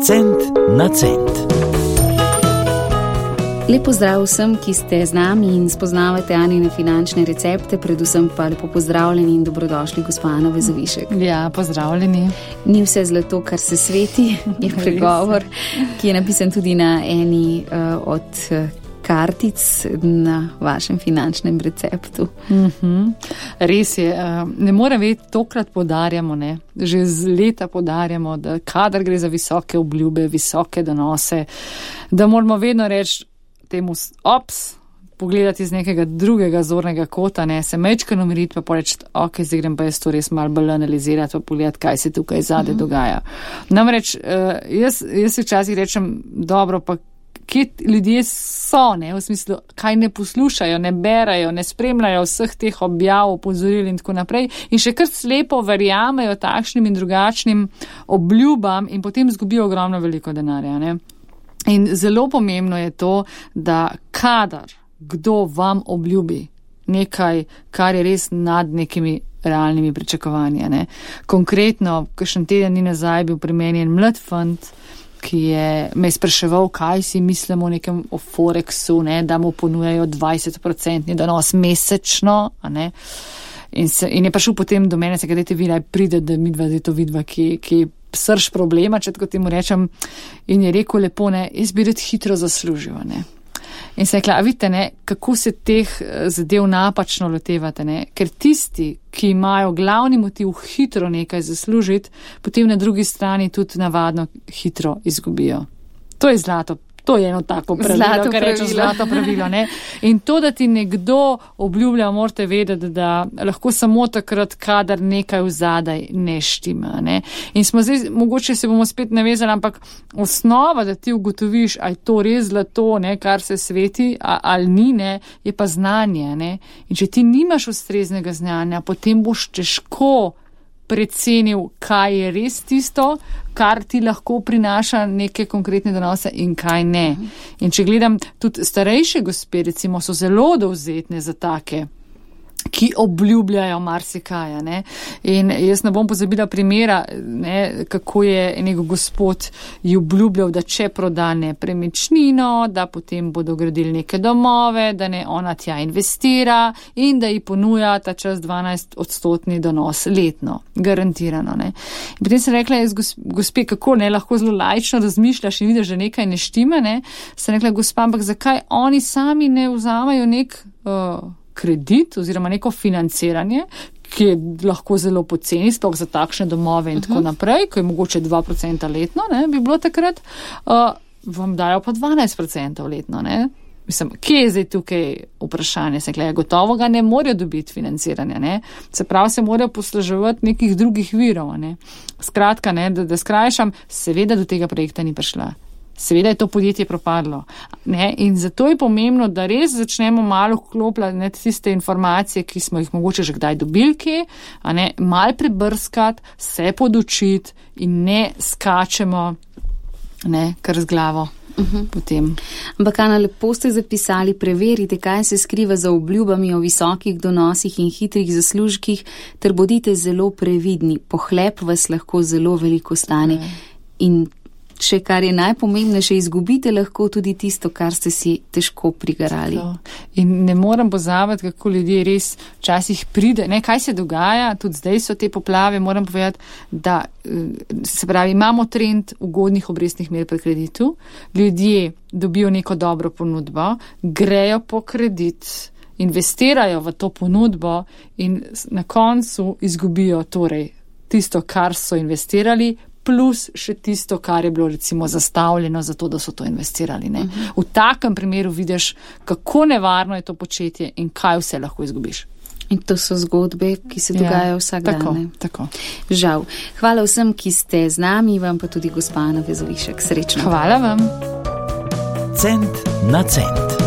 Cent na cent. Lep pozdrav vsem, ki ste z nami in spoznavate Anine finančne recepte, predvsem pa lepo pozdravljeni in dobrodošli gospa Ana Vezovišek. Ja, pozdravljeni. Ni vse zlato, kar se sveti, je pregovor, ki je napisan tudi na eni od kartic na vašem finančnem receptu. Res je, ne morem vedeti, tokrat podarjamo, že z leta podarjamo, da kadar gre za visoke obljube, visoke donose, da moramo vedno reči temu pogledati iz nekega drugega zornega kota, se mečkano umiriti pa poreči, ok, zdaj grem pa jaz to res malo bolj analizirati pa pogledati, kaj se tukaj zadaj dogaja. Namreč, jaz si včasih rečem, dobro, pa kje ljudje so, v smislu, kaj ne poslušajo, ne berajo, ne spremljajo vseh teh objav, opozoril in tako naprej in še kar slepo verjamejo takšnim in drugačnim obljubam in potem zgubijo ogromno veliko denarja, In zelo pomembno je to, da kadar kdo vam obljubi nekaj, kar je res nad nekimi realnimi pričakovanji. Konkretno, kakšen teden dni nazaj bil pri meni en mlad fant, ki me je spraševal, kaj si mislimo o Forexu, da mu ponujajo 20% donos mesečno, In je prišel potem do mene, kaj dajte vi naj pride, da midva zdaj to vidva, ki srž problema, če tako temu rečem, in je rekel lepo, jaz bi rad hitro zaslužil, In se je rekla, a vidite, kako se teh zadev napačno lotevate, Ker tisti, ki imajo glavni motiv hitro nekaj zaslužiti, potem na drugi strani tudi navadno hitro izgubijo. To je zlato. To je eno tako pravilo, kar reče zlato pravilo, In to, da ti nekdo obljublja, morate vedeti, da lahko samo takrat, kadar nekaj vzadaj ne štima, In smo zdaj, mogoče se bomo spet navezali, ampak osnova, da ti ugotoviš, a je to res zlato, kar se sveti, ali ni, je pa znanje, In če ti nimaš ustreznega znanja, potem boš težko precenil, kaj je res tisto, kar ti lahko prinaša neke konkretne donose in kaj ne. In če gledam, tudi starejše gospe, recimo, so zelo dovzetne za take, ki obljubljajo marsikaj, In jaz ne bom pozabila primera, kako je nek gospod ji obljubljal, da če proda nepremičnino, da potem bodo gradili neke domove, da ona tja investira in da ji ponuja ta čas 12% donos letno, garantirano, In potem sem rekla, gospe, kako lahko zelo laično razmišljaš in vidiš, da nekaj ne štima, sem rekla, gospa, ampak zakaj oni sami ne vzamajo nek kredit oziroma neko financiranje, ki je lahko zelo poceni, sploh za takšne domove in tako naprej, ko je mogoče 2% letno, bi bilo takrat, vam dajo pa 12% letno, Mislim, kje je zdaj tukaj vprašanje? Se gleda, gotovo ga ne morajo dobiti financiranja, Se pravi, se morajo posluževati nekih drugih virov, Skratka, da skrajšam, seveda do tega projekta ni prišla. Seveda je to podjetje propadlo. In zato je pomembno, da res začnemo malo vklopljati tiste informacije, ki smo jih mogoče že kdaj dobili, malo prebrskati, se podučiti in ne skačemo kar z glavo. Potem. Ampak, Ana, lepo ste zapisali, preverite, kaj se skriva za obljubami o visokih donosih in hitrih zaslužkih, ter bodite zelo previdni. Pohlep vas lahko zelo veliko stane. In še kar je najpomembnejše, izgubite lahko tudi tisto, kar ste si težko prigarali. In ne moram pozabiti, kako ljudje res včasih pride, kaj se dogaja, tudi zdaj so te poplave, moram povedati, da se pravi, imamo trend ugodnih obrestnih mer pri kreditu, ljudje dobijo neko dobro ponudbo, grejo po kredit, investirajo v to ponudbo in na koncu izgubijo torej tisto, kar so investirali, plus še tisto, kar je bilo recimo zastavljeno za to, da so to investirali. V takem primeru vidiš, kako nevarno je to početje in kaj vse lahko izgubiš. In to so zgodbe, ki se dogajajo vsak dan. Tako. Žal. Hvala vsem, ki ste z nami, vam pa tudi gospa Ana Vezovišek. Srečno. Hvala vam. Cent na cent.